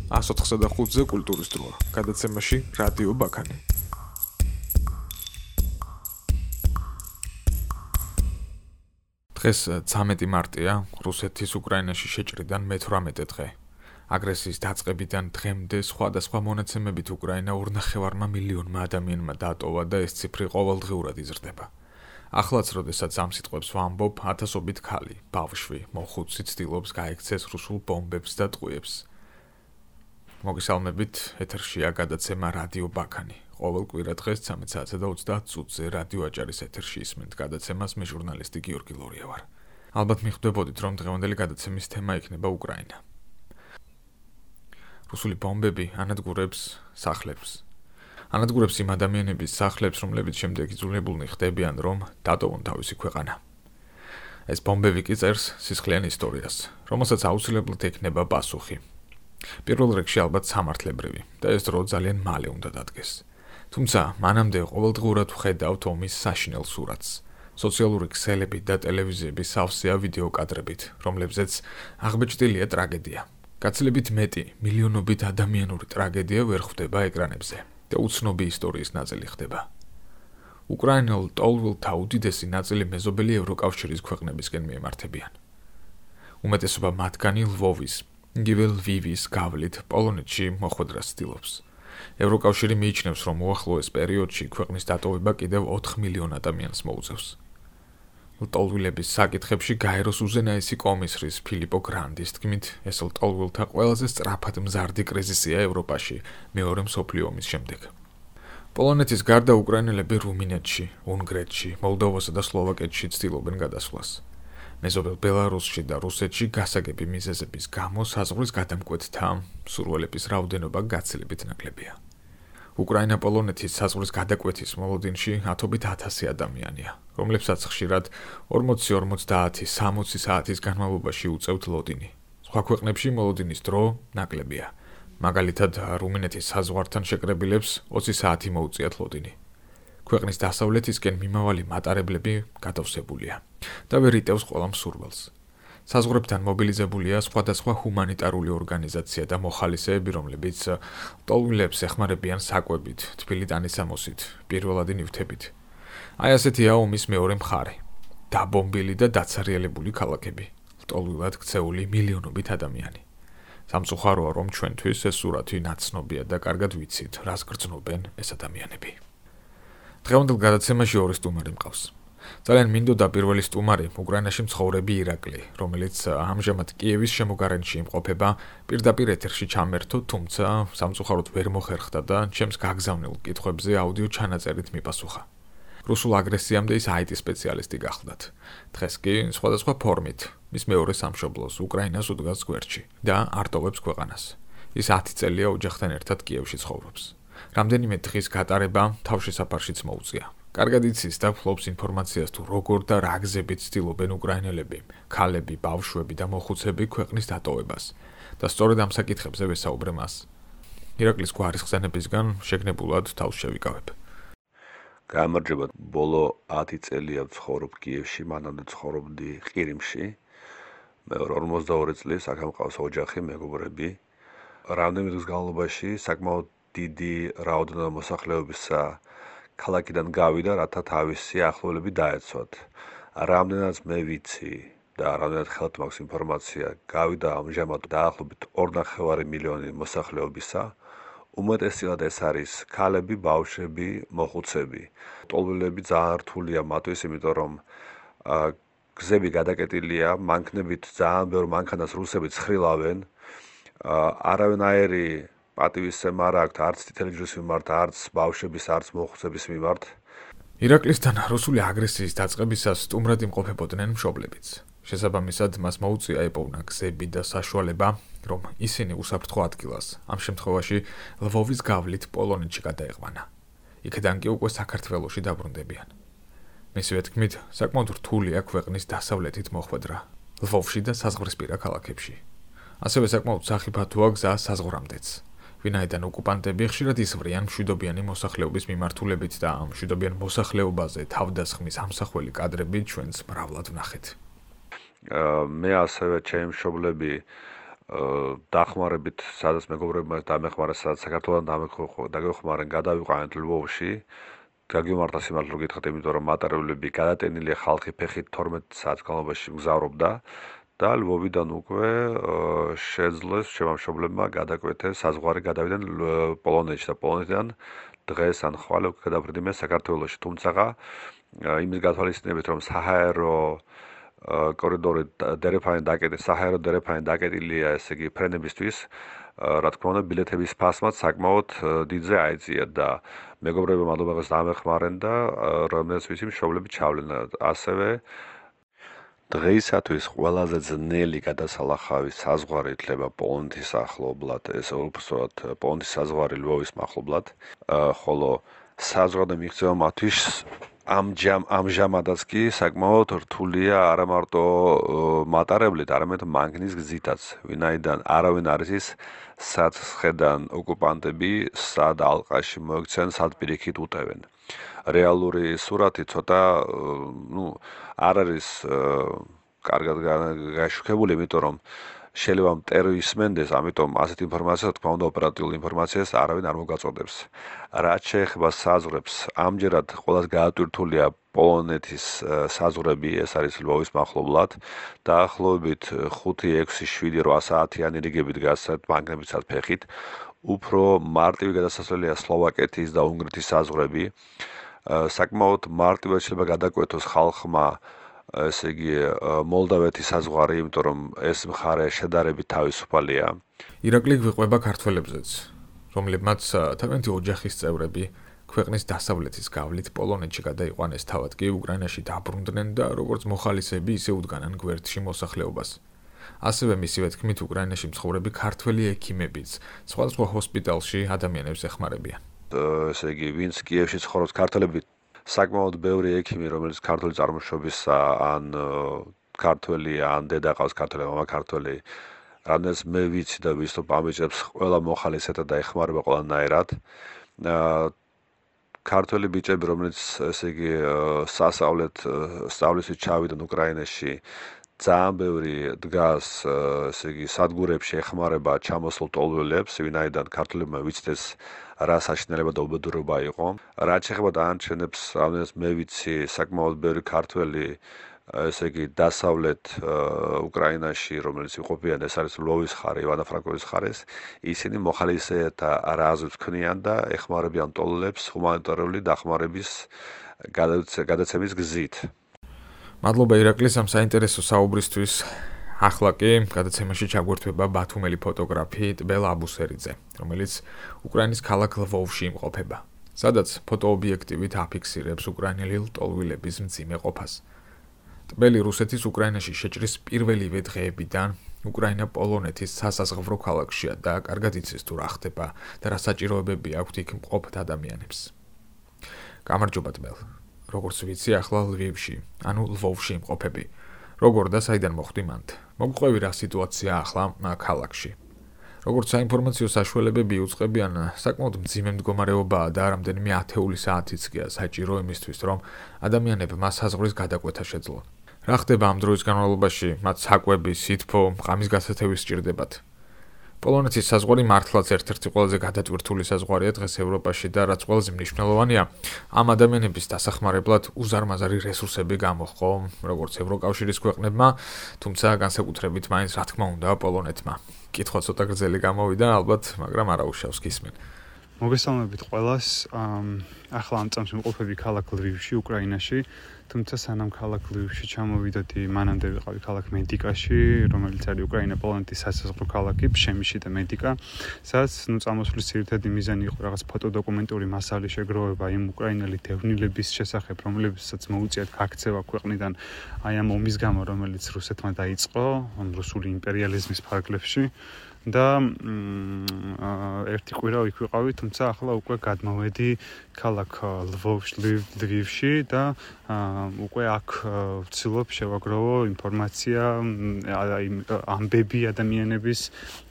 185-ზე კულტურის დროა. გადაცემაში რადიო ბაქანი. დღეს 13 მარტია, რუსეთის უკრაინაში შეჭრიდან მე-18 დღე. აგრესიის დაწყებიდან დღემდე სხვადასხვა მონაცემებით უკრაინა 2,5 მილიონმა ადამიანმა დატოვა და ეს ციფრი ყოველდღიურად იზრდება. ახლაც, როდესაც ამ სიტყვებს ვამბობ, ათასობით ქალი, ბავშვი, მოხუცი ცდილობს გაექცეს რუსულ ბომბებს და ტყვიებს. მოგესალმებით, ეთერშია გადაცემა რადიო ბაქანი. ყოველ კვირა დღეს 13:30-ზე რადიო აჭარის ეთერში ისმენთ გადაცემას მე ჟურნალისტი გიორგი ლორია ვარ. ალბათ მიხვდებოდით, რომ დღევანდელი გადაცემის თემა იქნება უკრაინა. რუსული ბომბები ანადგურებს სახლებს. ანადგურებს იმ ადამიანების სახლებს, რომლებიც შემდეგ იძულებულნი ხდებიან, რომ დატოვონ თავისი ქვეყანა. ეს ბომბები კი წერს სისხლიან ისტორიას, რომელსაც აუცილებლად ექნება პასუხი. პირველ რიგში ალბათ სამართლებრივი და ეს დრო ძალიან მალე უნდა დადგეს. თუმცა მანამდე ყოველდღურად ვხედავთ ომის საშინელ სურათს. სოციალური ქსელები და ტელევიზიები სავსეა ვიდეო კადრებით, რომლებზეც აღბეჭდილია ტრაგედია. გაცილებით მეტი, მილიონობით ადამიანური ტრაგედია ვერ ხვდება ეკრანებზე და უცნობი ისტორიის ნაწილი ხდება. უკრაინელ ტოლვილთა უდიდესი ნაწილი მეზობელი ევროკავშირის ქვეყნებისკენ მიემართებიან. უმეტესობა მათგანი ლვოვის, იგივე ლვივის გავლით პოლონეთში მოხვედრას ცდილობს. ევროკავშირი მიიჩნევს, რომ უახლოეს პერიოდში ქვეყნის დატოვება კიდევ 4 მილიონ ადამიანს მოუწევს. ლტოლვილების საკითხებში გაეროს უზენაესი კომისრის ფილიპო გრანდის თქმით, ეს ლტოლვილთა ყველაზე სწრაფად მზარდი კრიზისია ევროპაში მეორე მსოფლიო ომის შემდეგ. პოლონეთის გარდა უკრაინელები რუმინეთში, უნგრეთში, მოლდოვასა და სლოვაკეთში ცდილობენ გადასვლას. მეზობელ ბელარუსში და რუსეთში გასაგები მიზეზების გამო საზღვრის გადამკვეთთა მსურველების რაოდენობა გაცილებით ნაკლებია. უკრაინა-პოლონეთის საზღვრის გადაკვეთის მოლოდინში ათობით 1000 ადამიანია, რომლებსაც ხშირად 40-50-60 საათის განმავლობაში უწევთ ლოდინი. სხვა ქვეყნებში მოლოდინის დრო ნაკლებია. მაგალითად, რუმინეთის საზღვართან შეკრებილებს 20 საათი მოუწიათ ლოდინი. ქვეყნის დასავლეთისკენ მიმავალი მატარებლები გადავსებულია და ვერ იტევს ყველა მსურველს. საზღვრებთან მობილიზებულია სხვადასხვა ჰუმანიტარული ორგანიზაცია და მოხალისეები, რომლებიც ტოლვილებს ეხმარებიან საკვებით, თბილი ტანისამოსით, პირველადი ნივთებით. აი ასეთია ომის მეორე მხარე. დაბომბილი და დაცარიელებული ქალაქები, ტოლვილად ქცეული მილიონობით ადამიანი. სამწუხაროა, რომ ჩვენთვის ეს სურათი ნაცნობია და კარგად ვიცით, რას გრძნობენ ეს ადამიანები. დღევანდელ გადაცემაში ორი სტუმარი მყავს. ძალიან მინდოდა პირველი სტუმარი უკრაინაში მცხოვრები ირაკლი, რომელიც ამჟამად კიევის შემოგარენში იმყოფება, პირდაპირ ეთერში ჩამერთო, თუმცა სამწუხაროდ ვერ მოხერხდა და ჩემს გაგზავნილ კითხვებზე აუდიო ჩანაწერით მიპასუხა. რუსულ აგრესიამდე ის IT სპეციალისტი გახლდათ. დღეს კი სხვადასხვა ფორმით მის მეორე სამშობლოს უკრაინას უდგას გვერდში და არტოვებს ქვეყანას. ის 10 წელია ოჯახთან ერთად კიევში ცხოვრობს. რამდენიმე დღის გატარება თავშესაფარშიც მოუწია. კარგად იცის და ფლობს ინფორმაციას თუ როგორ და რა გზებით ცდილობენ უკრაინელები, ქალები, ბავშვები და მოხუცები ქვეყნის დატოვებას და სწორედ ამ საკითხებზე ვესაუბრე მას. ირაკლის გვარის ხსენებისგან შეგნებულად თავს შევიკავებ. გამარჯობა, ბოლო 10 წელია ვცხოვრობ კიევში, მანამდე ცხოვრობდი ყირიმში. მე 42 წლის აქ მყავს ოჯახი, მეგობრები. რამდენიმე დღის განმავლობაში საკმაოდ დიდი რაოდენობა მოსახლეობისა ქალაქიდან გავიდა, რათა თავისი ახლობლები დაეცვათ. რამდენად მე ვიცი და რამდენად ხელთ მაქვს ინფორმაცია, გავიდა ამჟამად დაახლოებით 2,5 მილიონი მოსახლეობისა. უმეტესად ეს არის ქალები, ბავშვები, მოხუცები. ტოლვილები ძალიან რთულია მათთვის, იმიტომ რომ გზები გადაკეტილია, მანქანებით ძალიან ბევრ მანქანას რუსები ცხრილავენ. არავინაირი პატივისცემა არ აქვთ არც წითელი ჯვრის მიმართ, არც ბავშვების, არც მოხუცების მიმართ. ირაკლისთან რუსული აგრესიის დაწყებისას სტუმრად იმყოფებოდნენ მშობლებიც. შესაბამისად, მას მოუწია ეპოვნა გზები და საშუალება, რომ ისინი უსაფრთხო ადგილას, ამ შემთხვევაში ლვოვის გავლით პოლონეთში გადაეყვანა. იქედან კი უკვე საქართველოში დაბრუნდებიან. მისივე თქმით, საკმაოდ რთულია ქვეყნის დასავლეთით მოხვედრა, ლვოვში და საზღვრისპირა ქალაქებში. ასევე საკმაოდ სახიფათოა გზა საზღვრამდეც. ვინაიდან ოკუპანტები ხშირად ისვრიან მშვიდობიანი მოსახლეობის მიმართულებით და ამ მშვიდობიან მოსახლეობაზე თავდასხმის ამსახველი კადრები ჩვენს მრავლად ვნახეთ. მე ასევე ჩემი მშობლები დახმარებით, სადაც მეგობრებმა დამეხმარა, სადაც საქართველოსთან დაგეხმარენ, გადავიყვანეთ ლვოვში. გაგიმართა სიმართლე რომ გითხრათ, იმიტომ რომ მატარებლები გადატენილი ხალხი ფეხით 12 საათის განმავლობაში მგზავრობდა და ლვოვიდან უკვე შეძლეს შემამშობლებმა გადაკვეთეს საზღვარი, გადავიდნენ პოლონეთში და პოლონეთიდან დღეს ან ხვალე უკვე გადაფრინდნენ საქართველოში. თუმცა იმის გათვალისწინებით, რომ საჰაერო კორიდორი საჰაერო დერეფანი დაკეტილია, ესე იგი ფრენებისთვის, რა თქმა უნდა, ბილეთების ფასმაც საკმაოდ დიდზე აიწია და მეგობრებმა მადლობას დამეხმარენ და რომელსაც ვიცი მშობლები ჩავლენ. ასევე დღეისათვის ყველაზე ძნელი გადასალახავი საზღვარი ითვლება პოლონეთის ახლობლად, ეს უბრალოდ პოლონეთის საზღვარი ლვოვის მახლობლად, ხოლო საზღვარზე მიღწევა მათთვის ამჟამადაც კი საკმაოდ რთულია არა მარტო მატარებლით, არამედ მანგნის გზითაც, ვინაიდან არავინ არ იცის, სად ხედან ოკუპანტები, სად ალყაში მოექცენ, სად პირიქით უტევენ. რეალური სურათი ცოტა არ არის კარგად გაშუქებული, იმიტომ რომ შეიძლება მტერო ისმენდეს, ამიტომ ასეთ ინფორმაციას, თქმა უნდა, ოპერატიულ ინფორმაციას არავინ არ მოგაწოდებს. რაც შეეხება საზღვრებს, ამჯერად ყველას გაატვირთულია პოლონეთის საზღვრები, ეს არის ლვოვის მახლობლად, დაახლოებით 5-6-7-8 საათიანი რიგებით გასცეთ მანგნებიცად ფეხით. უფრო მარტივი გადასასვლელია სლოვაკეთის და უნგრეთის საზღვრები. საკმაოდ მარტივად შეიძლება გადაკვეთოს ხალხმა, ესე იგი, მოლდავეთის საზღვარი, იმიტომ რომ ეს მხარე შედარებით თავისუფალია. ირაკლი გვიყვება ქართველებზეც, რომლებმაც თავიანთი ოჯახის წევრები ქვეყნის დასავლეთის გავლით პოლონეთში გადაიყვანეს, თავად კი უკრაინაში დაბრუნდნენ და როგორც მოხალისეები ისე უდგანან გვერდში მოსახლეობას. ასევე მისივე თქმით, უკრაინაში მცხოვრები ქართველი ექიმებიც სხვადასხვა ჰოსპიტალში ადამიანებს ეხმარებიან. ესე იგი, ვინც კიევში ცხოვრობს ქართველები, საკმაოდ ბევრი ექიმი, რომელიც ქართული წარმოშობისა, ან ქართველია, ან დედა ყავს ქართველი, მამა ქართველი, რამდენიც მე ვიცი და ვისწრაფ ამიჭებს, ყველა მოხალისეთა და ეხმარება ყველანაირად. ქართველი ბიჭები, რომელიც ესე იგი სწავლისით ჩავიდნენ უკრაინაში, ძალიან ბევრი დგას, ესე იგი, სადგურებში ეხმარება ჩამოსულ ტოლვილებს, ვინაიდან ქართველებმა ვიცდეს რა საშინელება და უბედურება იყო. რაც შეეხება დანარჩენებს, რამდენიც მე ვიცი, საკმაოდ ბევრი ქართველი, ესე იგი, დასავლეთ უკრაინაში, რომელიც იყოფიან, ეს არის ლვოვის ხარი, ივანო-ფრანკოვის ხარის, ისინი მოხალისეთა რაზმს ქმნიან და ეხმარებიან ტოლვილებს ჰუმანიტარული დახმარების გადაცემის გზით. მადლობა ირაკლის ამ საინტერესო საუბრისთვის. ახლა კი გადაცემაში ჩაგვერთვება ბათუმელი ფოტოგრაფი ტბელა აბუსერიძე, რომელიც უკრაინის ქალაქ ლვოვში იმყოფება, სადაც ფოტოობიექტივით აფიქსირებს უკრაინელი ლტოლვილების მძიმე ყოფას. ტბელი რუსეთის უკრაინაში შეჭრის პირველივე დღეებიდან უკრაინა პოლონეთის სასაზღვრო ქალაქშია და კარგად იცის თუ რა ხდება და რა საჭიროებები აქვთ იქ მყოფ ადამიანებს. გამარჯობა ტბელ. როგორც ვიცი, ახლა ლვივში, ანუ ლვოვში იმყოფები. როგორ და საიდან მოხვდი მანდ? მოგყვევი რა სიტუაცია ახლა ქალაქში. როგორც საინფორმაციო საშუალებები იუწყებიან, საკმაოდ მძიმე მდგომარეობაა და რამდენიმე ათეული საათიც გია საჭირო იმისთვის, რომ ადამიანებმა საზღვრის გადაკვეთა შეძლონ. რა ხდება ამ დროის განმავლობაში? მათ საკვები, სითბო, ღამის გასათევი სჭირდებათ. პოლონეთის საზღვარი მართლაც ერთ-ერთი ყველაზე გადატვირთული საზღვარია დღეს ევროპაში და რაც ყველაზე მნიშვნელოვანია, ამ ადამიანების დასახმარებლად უზარმაზარი რესურსები გამოჰყო, როგორც ევროკავშირის ქვეყნებმა, თუმცა განსაკუთრებით მაინც რა თქმა უნდა პოლონეთმა. კითხვა ცოტა გრძელი გამოვიდა, ალბათ, მაგრამ არა უშავს გისმენ. მოგესალმებით ყველას. ახლა ამ წამს ვიმყოფები ქალაქ ლვივში, უკრაინაში. თუმცა სანამ ქალაქ ლვივში ჩამოვიდოდი, მანამდე ვიყავი ქალაქ მედიკაში, რომელიც არის უკრაინა-პოლონეთის სასაზღვრო ქალაქი, ფშემიში და მედიკა, სადაც წამოსვლის ძირითადი მიზანი იყო რაღაც ფოტოდოკუმენტური მასალის შეგროვება იმ უკრაინელი დევნილების შესახებ, რომლებსაც მოუწიათ გაქცევა ქვეყნიდან აი ამ ომის გამო, რომელიც რუსეთმა დაიწყო, რუსული იმპერიალიზმის ფარგლებში. და ერთი კვირა იქ ვიყავი, თუმცა ახლა უკვე გადმოვედი ქალაქ ლვივში და უკვე აქ ვცდილობ შევაგროვო ინფორმაცია, ამბები ადამიანების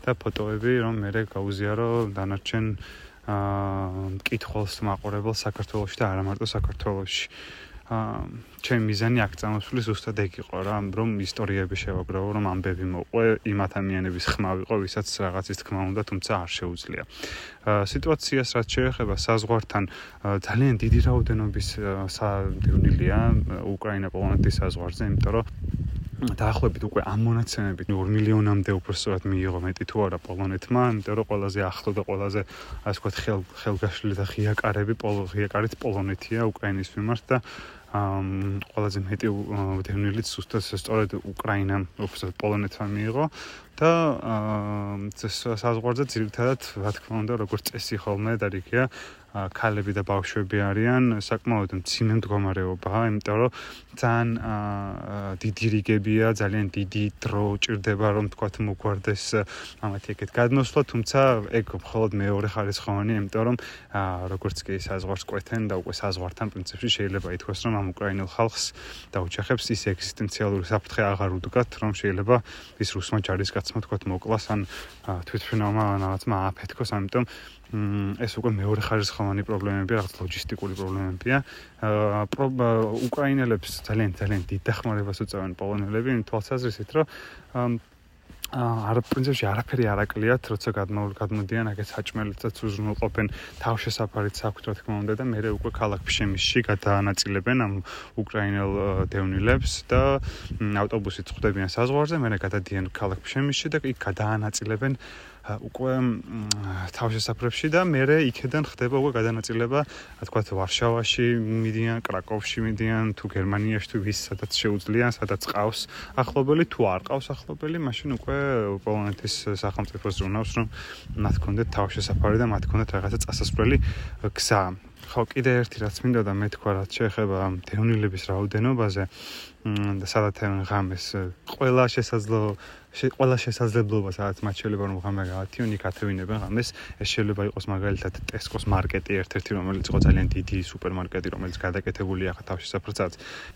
და ფოტოები, რომ მე გავუზიარო დანარჩენ მკითხველს, მაყურებელს საქართველოში და არა მარტო საქართველოში. ჩემი მიზანი აქ წამოსვლის ზუსტად ეგ იყო რა, რომ ისტორიები შევაგროვო, რომ ამბები მოყვე, იმ ადამიანების ხმა ვიყო, ვისაც რაღაცის თქმა უნდა, თუმცა არ შეუძლია. სიტუაციას რაც შეეხება საზღვართან, ძალიან დიდი რაოდენობის დევნილია უკრაინა-პოლონეთის საზღვარზე, იმიტომ რომ დაახლოებით უკვე ამ მონაცემებით 2 მილიონამდე უბრალოდ მიიღო მეტი თუ არა პოლონეთმა, იმიტომ რომ ყველაზე ახლო და ყველაზე ასე ვთქვათ ხელგაშლილი და ღიაკარით პოლონეთია უკრაინის მიმართ და ყველაზე მეტი დევნილიც ზუსტად სწორედ უკრაინამ უბრალოდ პოლონეთმა მიიღო და საზღვარზე ძირითადად რა თქმა უნდა როგორც წესი ხოლმე დარიგია ქალები და ბავშვები არიან საკმაოდ მძიმე მდგომარეობაა, იმიტომ რომ ძალიან დიდი რიგებია, ძალიან დიდი დრო ჭირდება რომ თქვათ მოგვარდეს ამათი ეგეთ გადმოსვლა, თუმცა ეგ მხოლოდ მეორე ხარისხოვანი, იმიტომ რომ როგორც კი საზღვარს კვეთენ და უკვე საზღვართან პრინციპში შეიძლება ითქვას რომ ამ უკრაინელ ხალხს და ოჯახებს ის ეგზისტენციალური საფრთხე აღარ უდგათ, რომ შეიძლება ის რუსმა ჯარისკაცმა თქვათ მოკლას ან თვითმფრინავმა რაღაცმა ააფეთქოს, ამიტომ ეს უკვე მეორე ხარისხოვანი პრობლემებია, რაღაც ლოჯისტიკური პრობლემებია. უკრაინელებს ძალიან დიდ დახმარებას უწევენ პოლონელები, იმ თვალსაზრისით, რომ პრინციპში არაფერი არ აკლიათ, როცა გადმოდიან აქეთ საჭმელითაც უზრუნველყოფენ, თავშესაფარიც აქვთ, რა თქმა უნდა და მერე უკვე ქალაქ ფშემისში გადაანაწილებენ ამ უკრაინელ დევნილებს და ავტობუსით ხვდებიან საზღვარზე, მერე გადადიან ქალაქ ფშემისში და იქ გადაანაწილებენ უკვე თავშესაფრებში და მერე იქედან ხდება უკვე გადანაწილება, რა თქვათ, ვარშავაში მიდიან, კრაკოვში მიდიან, თუ გერმანიაში თუ ვის სადაც შეუძლიან, სადაც ყავს ახლობელი, თუ არ ყავს ახლობელი, მაშინ უკვე პოლონეთის სახელმწიფოს ზრუნავს, რომ მათ ქონდეთ თავშესაფარი და მათ ქონდეთ რაღაცა წასასვლელი გზა. ხო, კიდე ერთი რაც მინდა და მე თქვა, რაც შეეხება დევნილების რაოდენობაზე და სადაც ღამეს ყველა შესაძლებლობა, სადაც მათ შეიძლება რომ ღამე გაათიონ, იქ ათევინებენ ღამეს. ეს შეიძლება იყოს მაგალითად ტესკოს მარკეტი ერთ-ერთი, რომელიც იყო ძალიან დიდი სუპერმარკეტი, რომელიც გადაკეთებულია ახლა თავშესაფრსაც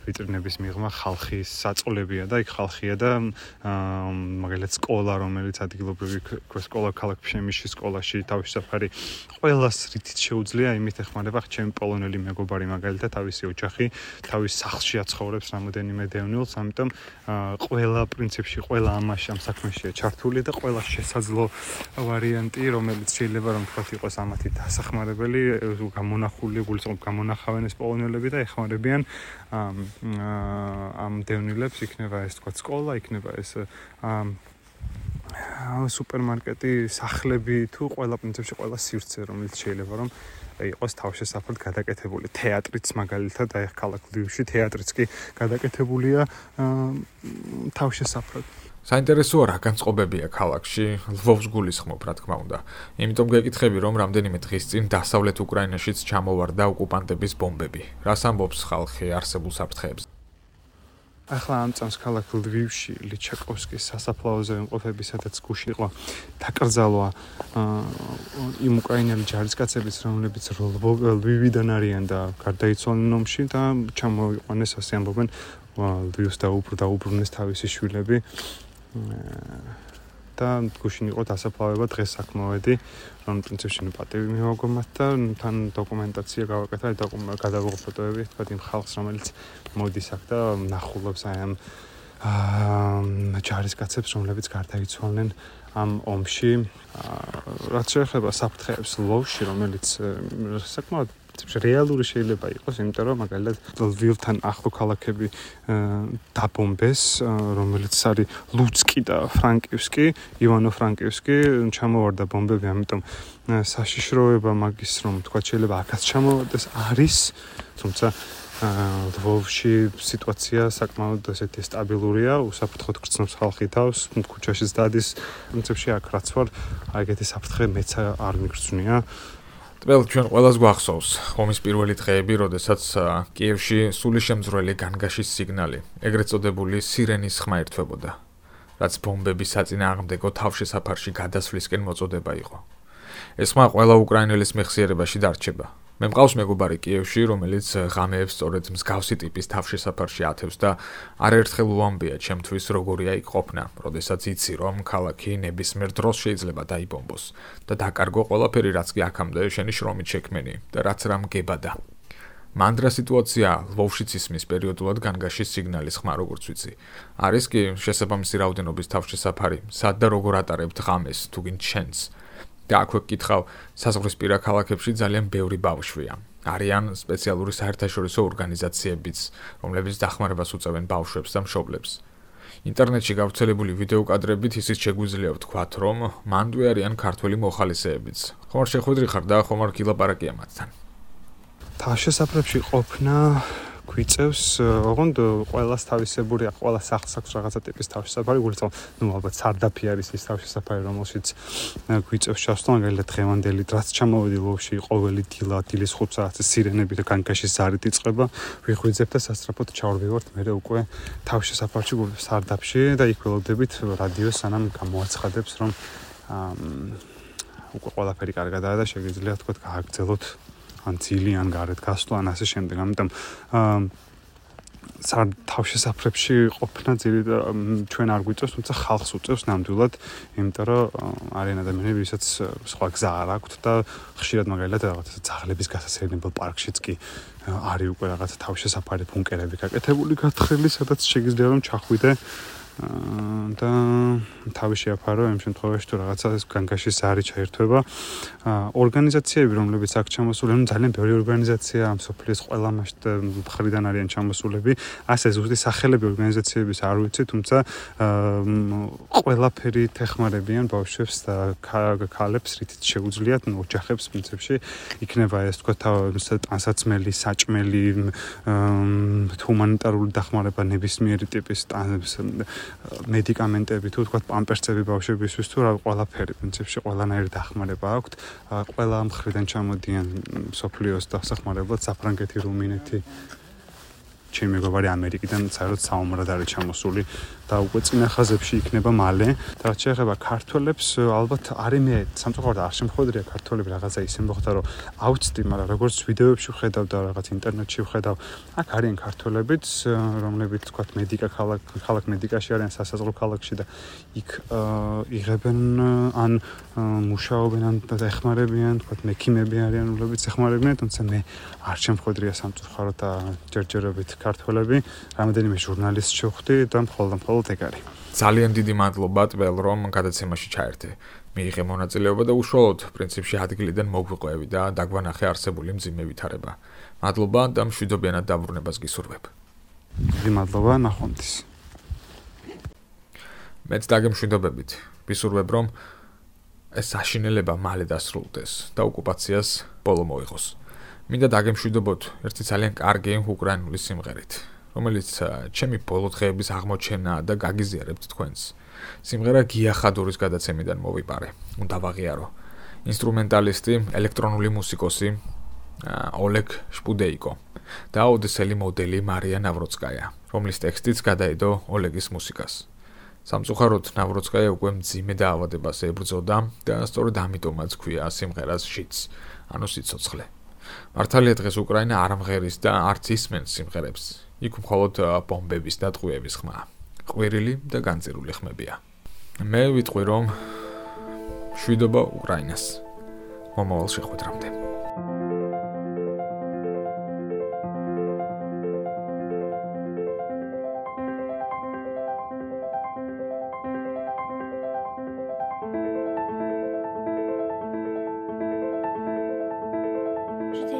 ვიტრინების მიღმა, ხალხის საწყლებია და იქ ხალხია და მაგალითად სკოლა, რომელიც ადგილობრივი სკოლა ქალაქ ფშემისში სკოლაში თავშესაფარი ყველას რითიც შეუძლია, იმით ეხმარება ჩემი პოლონელი მეგობარი მაგალითად თავისი ოჯახი, თავის სახლში აცხოვრებს რამოდენიმე დევნილს, ამიტომ ყველა პრინციპში ყველა ამაში ამ საქმეშია ჩართული და ყველა შესაძლო ვარიანტი, რომელიც შეიძლება რომ თქვათ იყოს ამათი დასახმარებელი, გამონახული, გულისხმობ გამონახავენ ეს პოლონელები და ეხმარებიან ამ დევნილებს, იქნება ეს თქვათ სკოლა, იქნება ეს სუპერმარკეტი, სახლები თუ ყველა პრინციპში ყველა სივრცე, რომელიც შეიძლება რომ იყოს თავშესაფრად გადაკეთებული. თეატრიც მაგალითად, აი ქალაქ ლვივში თეატრიც კი გადაკეთებულია თავშესაფრად. საინტერესოა რა განწყობებია ქალაქში, ლვოვს გულისხმობ, რა თქმა უნდა. იმიტომ გეკითხები, რომ რამდენიმე დღის წინ დასავლეთ უკრაინაშიც ჩამოვარდა ოკუპანტების ბომბები. რას ამბობს ხალხი არსებულ საფრთხეებზე? ახლა ამ წამს ქალაქ ლვივში ლიჩაკოვსკის სასაფლაოზე იმყოფები, სადაც გუში იყო დაკრძალვა იმ უკრაინელი ჯარისკაცების, რომლებიც ლვივიდან არიან და გარდაიცვალნენ ომში და ჩამოიყვანეს, ასე ამბობენ, ლვივს დაუბრუნეს თავისი შვილები და გუშინ იყო დასაფლავება დღეს აქ მოვედი, რომ პრინციპში პატივი მივაგო მათ და თან დოკუმენტაცია გავაკეთა, გადავიღო ფოტოები, თქვა იმ ხალხს, რომელიც მოდის აქ და ნახულობს აი ამ ჯარისკაცებს, რომლებიც გარდაიცვალნენ ამ ომში. რაც შეეხება საფრთხეებს ლვოვში, რომელიც საკმაოდ რეალური შეიძლება იყოს, იმიტომ რომ მაგალითად ლვივთან ახლო ქალაქები დაბომბეს, რომელიც არის ლუცკი და ფრანკივსკი, ივანო-ფრანკივსკი, ჩამოვარდა ბომბები, ამიტომ საშიშროება მაგის რომ თქვა შეიძლება აქაც ჩამოვარდეს არის, თუმცა ლვოვში სიტუაცია საკმაოდ ესეთი სტაბილურია, უსაფრთხოდ გრძნობს ხალხი თავს, ქუჩაშიც დადის, პრინციპში აქ რაც ვარ, აი ეგეთი საფრთხე მეც არ მიგრძნია. ტყელ ჩვენ ყველას გვახსოვს ომის პირველი დღეები, როდესაც კიევში სულიშემძვრელი განგაშის სიგნალი, ეგრეთ წოდებული სირენის ხმა ერთვებოდა, რაც ბომბების საწინააღმდეგო თავშესაფარში გადასვლისკენ მოწოდება იყო. ეს ხმა ყველა უკრაინელის მეხსიერებაში დარჩება. მე მყავს მეგობარი კიევში, რომელიც ღამეებს სწორედ მსგავსი ტიპის თავშესაფარში ათევს და არაერთხელ უამბია ჩემთვის როგორია იქ ყოფნა, როდესაც იცი რომ ქალაქი ნებისმიერ დროს შეიძლება დაიბომბოს და დაკარგო ყველაფერი, რაც კი აქამდე შენი შრომით შექმენი და რაც რამ გებადა. მანდრა სიტუაცია ლვოვშიც ისმის პერიოდულად განგაშის სიგნალის ხმა, როგორც ვიცი. არის კი შესაბამისი რაოდენობის თავშესაფარი, სად და როგორ ატარებთ ღამეს, თუ გინ ჩენს. და აქვე გკითხავ, საზღვრისპირა ქალაქებში ძალიან ბევრი ბავშვია. არიან სპეციალური საერთაშორისო ორგანიზაციებიც, რომლებიც დახმარებას უწევენ ბავშვებს და მშობლებს. ინტერნეტში გავრცელებული ვიდეო კადრებით ისიც შეგვიძლია ვთქვათ, რომ მანდვე არიან ქართველი მოხალისეებიც. ხომ არ შეხვედრი ხარ და ხომ არ გილაპარაკია მათთან. თავშესაფრებში ყოფნა გვიწევს, ოღონდ ყველას თავისებური, ყველა სახლს აქვს რაღაცა ტიპის თავშესაფარი, გულწრფელ, ალბათ სარდაფი არის ის თავშესაფარი, რომელშიც გვიწევს ჩასვლა, მაგალითად დღევანდელი დრაც ჩამოვედი ლოვში, ყოველი დილის 5 საათზე სირენები და განგაშის ზარით იწყება, ვიხვიძებ და სასწრაფოდ ჩავარდივართ მერე უკვე თავშესაფარში, სარდაფში და იქ ველოდებით რადიოს სანამ გამოაცხადებს, რომ უკვე ყველაფერი კარგადაა და შეგიძლია თქვა გააგრძელოთ ან ძილი ან გარეთ გასვლა ან ასე შემდეგ. ამიტომ თავშესაფრებში ყოფნა ჩვენ არ გვიწევს, თუმცა ხალხს უწევს ნამდვილად, იმიტომ რომ არიან ადამიანები, ვისაც სხვა გზა არ აქვთ და ხშირად მაგალითად რაღაცა ძაღლების გასასეირნებელ პარკშიც კი არის უკვე რაღაცა თავშესაფარი ბუნკერები გაკეთებული გათხრილი, სადაც შეგიძლია რომ ჩახვიდე და თავი შეაფარო იმ შემთხვევაში თუ რაღაცა განგაშის ზარი ჩაერთვება. ორგანიზაციები, რომლებიც აქ ჩამოსული, ძალიან ბევრი ორგანიზაცია მსოფლიოს ყველა მხრიდან არიან ჩამოსულები. ასე ზუსტი სახელები ორგანიზაციების არ ვიცი, თუმცა ყველაფერი ეხმარებიან ბავშვებს და ქალებს, რითიც შეუძლიათ, ოჯახებს პრინციპში იქნება ეს თქვა ტანსაცმელი, საჭმელი, ჰუმანიტარული დახმარება ნებისმიერი ტიპის მედიკამენტები თუ თქვა პამპერსები ბავშვებისთვის თუ რა ყველაფერი პრინციპში ყველანაირი დახმარება აქვთ. ყველა მხრიდან ჩამოდიან სოფლიოს დასახმარებლად საფრანგეთი, რუმინეთი, ჩემი მეგობარი ამერიკიდან საერთოდ საომრად არის ჩამოსული და უკვე წინა ხაზებში იქნება მალე. და რაც შეეხება ქართველებს, ალბათ არის მე სამწუხაროდ არ შემხვედრია ქართველები რაღაცა ისე მოხდა, რომ ავწდი, მაგრამ როგორც ვიდეოებში ვხედავ და რაღაც ინტერნეტში ვხედავ, აქ არიან ქართველებიც, რომლებიც თქვა ქალაქ მედიკაში არიან სასაზღვრო ქალაქში და იქ იღებენ ან მუშაობენ ან ეხმარებიან, თქვა მექიმები არიან, რომლებიც ეხმარებიან, თუმცა მე არ შემხვედრია სამწუხაროდ და ჯერჯერობით ქართველები, რამდენიმე ჟურნალისტს შევხვდი და მხოლოდ ეგ არის. ძალიან დიდი მადლობა ტվել, რომ გადაცემაში ჩაერთე. მიიღე მონაწილეობა და უშუალოდ პრინციპში ადგილიდან მოგვიყვევი და დაგვანახე არსებული მძიმე ვითარება. მადლობა და მშვიდობიანად დაბრუნებას გისურვებ. დიდი მადლობა, ნახვამდის. მეც დაგემშვიდობებით. ვისურვებ, რომ ეს საშინელება მალე დასრულდეს და ოკუპაციას ბოლო მოიღოს. მინდა დაგემშვიდობოთ ერთი ძალიან კარგი უკრაინული სიმღერით, რომელიც ჩემი ბოლო დღეების აღმოჩენაა და გაგიზიარებთ თქვენს. სიმღერა გია ხადურის გადაცემიდან მოვიპარე. უნდა ვაღიარო. ინსტრუმენტალისტი, ელექტრონული მუსიკოსი ოლეგ შპუდეიკო და ოდესელი მოდელი მარია ნავროცკაია, რომლის ტექსტიც გადაედო ოლეგის მუსიკას. სამწუხაროდ ნავროცკაია უკვე მძიმე დაავადებას ებრძოდა და სწორედ ამიტომაც ქვია სიმღერას შიც, ანუ სიცოცხლე. მართალია დღეს უკრაინა არ ამღერის და არც ისმენს სიმღერებს. იქ მხოლოდ ბომბების და ტყვიების ხმა, ყვირილი და განწირული ხმებია. მე ვიტყვი, რომ მშვიდობა უკრაინას. მომავალ შეხვედრამდე.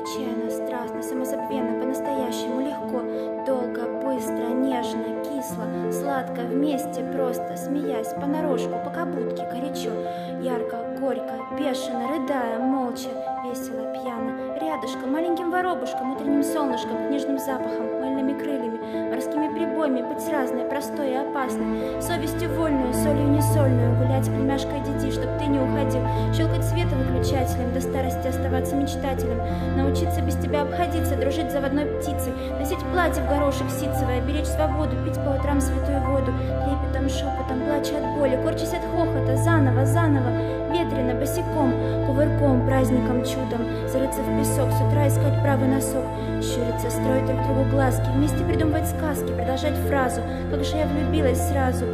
Отчаянно, страстно, самозабвенно, по-настоящему легко, долго, быстро, нежно, кисло, сладко, вместе, просто, смеясь, понарошку, по-кабутке, горячо, ярко, горько, бешено, рыдая, молча, весело, пьяно, рядышком, маленьким воробушком, утренним солнышком, нежным запахом, мыльными крыльями, морскими прибоями, быть разной, простой и опасной, совестью вольную, солью несольную, гулять с племяшкой дети, чтоб ты не уходил, щелкать света выключателем, до старости оставаться мечтателем, научиться без тебя обходиться, дружить заводной птицей, носить платье в горошек ситцевое, беречь свободу, пить по утрам святую воду, трепетом, шепотом, плача от боли, корчась от хохота, заново, ветрено, босиком, кувырком, праздником, чудом, зарыться в песок, с утра искать правый носок, щуриться, строить друг другу глазки, вместе придумывать сказки, продолжать фразу, как же я влюбилась сразу,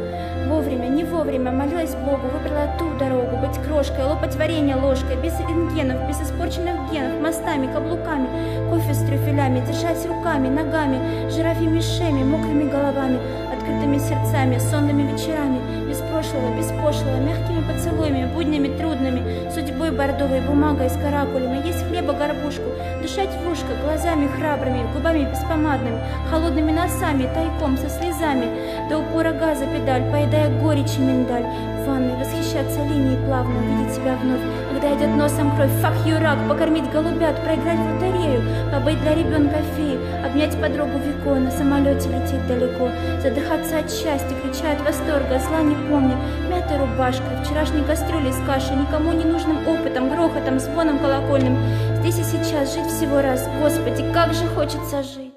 Вовремя, не вовремя, молилась Богу, выбрала ту дорогу, быть крошкой, лопать варенье ложкой, без рентгенов, без испорченных генов, мостами, каблуками, кофе с трюфелями, держать руками, ногами, жирафьими шеями, мокрыми головами, открытыми сердцами, сонными вечерами, без прошлого, без пошлого, мягкими поцелуями, буднями трудными, судьбой бордовой, бумагой с каракулями, есть хлеба горбушку, дышать в ушко, глазами храбрыми, губами беспомадными, холодными носами, тайком, со слезами, до упора газа педаль, поедая горечь и миндаль, в ванной восхищаться линией плавно, увидеть себя вновь, когда идет носом кровь, фак юрак, покормить голубят, проиграть в лотерею, побыть для ребенка феи, обнять подругу Вико, на самолете лететь далеко, задыхаться от счастья, крича от восторга, зла не помня, мятой рубашкой, вчерашней кастрюлей с кашей, никому не нужным опытом, грохотом, звоном колокольным, здесь и сейчас жить всего раз, Господи, как же хочется жить.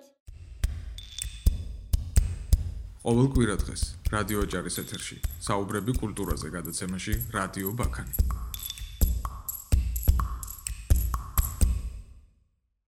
ყოველ კვირა დღეს რადიო ოჯახის ეთერში საუბრები კულტურაზე გადაცემაში რადიო ბაქანი.